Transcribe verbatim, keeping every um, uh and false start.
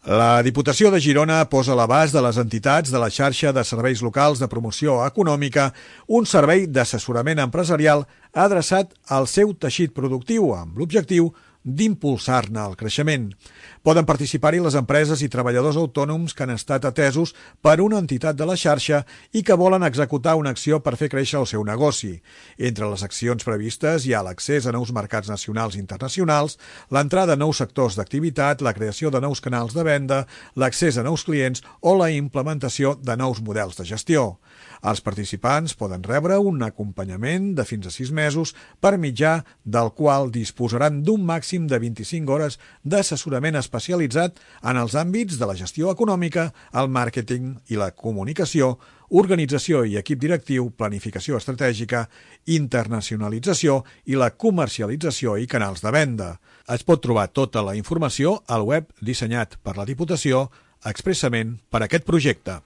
La Diputació de Girona posa a l'abast de les entitats de la xarxa de serveis locals de promoció econòmica un servei d'assessorament empresarial adreçat al seu teixit productiu amb l'objectiu d'impulsar-ne el creixement. Poden participar-hi les empreses i treballadors autònoms que han estat atesos per una entitat de la xarxa i que volen executar una acció per fer créixer el seu negoci. Entre les accions previstes hi ha l'accés a nous mercats nacionals i internacionals, l'entrada a nous sectors d'activitat, la creació de nous canals de venda, l'accés a nous clients o la implementació de nous models de gestió. Els participants poden rebre un acompanyament de fins a sis mesos per mitjà del qual disposaran d'un màxim de vint-i-cinc hores d'assessorament especialitzat en els àmbits de la gestió econòmica, el màrqueting i la comunicació, organització i equip directiu, planificació estratègica, internacionalització i la comercialització i canals de venda. Es pot trobar tota la informació al web dissenyat per la Diputació expressament per a aquest projecte.